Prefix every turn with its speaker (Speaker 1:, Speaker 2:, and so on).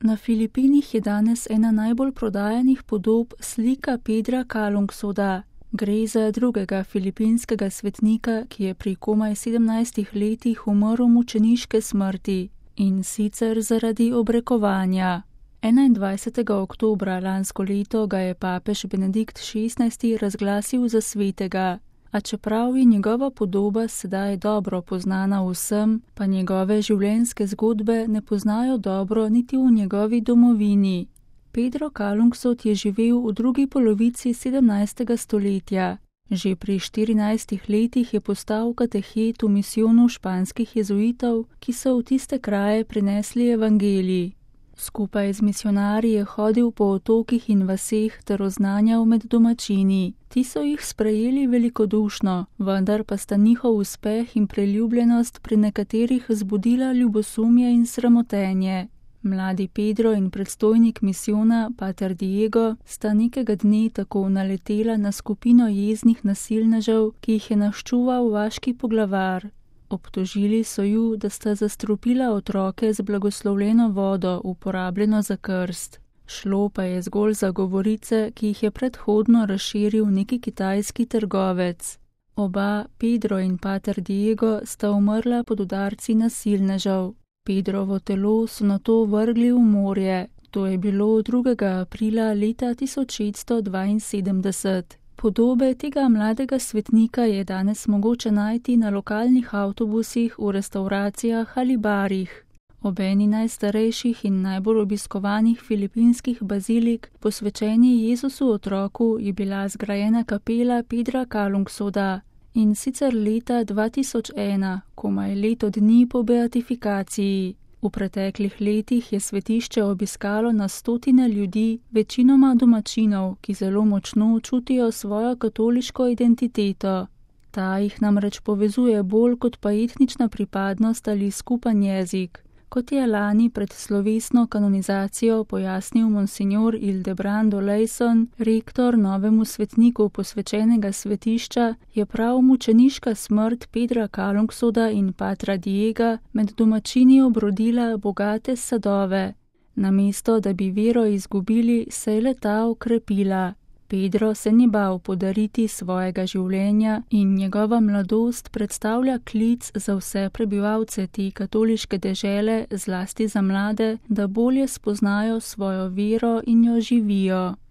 Speaker 1: Na Filipinih je danes ena najbolj prodajanih podob slika Pedra Kalungsoda. Gre za drugega filipinskega svetnika, ki je pri komaj 17 letih umrl mučeniške smrti, in sicer zaradi obrekovanja. 21. oktobra lansko leto ga je papež Benedikt XVI razglasil za svetega, a čeprav je njegova podoba sedaj dobro poznana vsem, pa njegove življenjske zgodbe ne poznajo dobro niti v njegovi domovini. Pedro Kalungsod je živel v drugi polovici 17. stoletja. Že pri 14 letih je postal katehet v misijonu španskih jezuitov, ki so v tiste kraje prinesli evangelij. Skupaj z misionarji je hodil po otokih in vaseh ter oznanjal med domačini. Ti so jih sprejeli velikodušno, vendar pa sta njihov uspeh in priljubljenost pri nekaterih zbudila ljubosumje in sramotenje. Mladi Pedro in predstojnik misijona, pater Diego, sta nekega dne tako naletela na skupino jeznih nasilnežev, ki jih je naščuval vaški poglavar. Obtožili so ju, da sta zastrupila otroke z blagoslovljeno vodo, uporabljeno za krst. Šlo pa je zgolj za govorice, ki jih je predhodno razširil neki kitajski trgovec. Oba, Pedro in pater Diego, sta umrla pod udarci nasilnežev. Pedrovo telo so nato vrgli v morje. To je bilo 2. aprila leta 1672. Podobe tega mladega svetnika je danes mogoče najti na lokalnih avtobusih, v restavracijah ali barih. Ob eni najstarejših in najbolj obiskovanih filipinskih bazilik, posvečeni Jezusu otroku, je bila zgrajena kapela Pedra Kalungsoda, in sicer leta 2001, komaj leto dni po beatifikaciji. V preteklih letih je svetišče obiskalo na stotine ljudi, večinoma domačinov, ki zelo močno čutijo svojo katoliško identiteto. Ta jih namreč povezuje bolj kot pa etnična pripadnost ali skupen jezik. Kot je lani pred slovesno kanonizacijo pojasnil monsignor Ildebrando Leison, rektor novemu svetniku posvečenega svetišča, je prav mučeniška smrt Pedra Kalungsoda in patra Diega med domačini obrodila bogate sadove. Namesto da bi vero izgubili, se je le-ta okrepila. Pedro se ni bal podariti svojega življenja in njegova mladost predstavlja klic za vse prebivalce te katoliške dežele, zlasti za mlade, da bolje spoznajo svojo vero in jo živijo.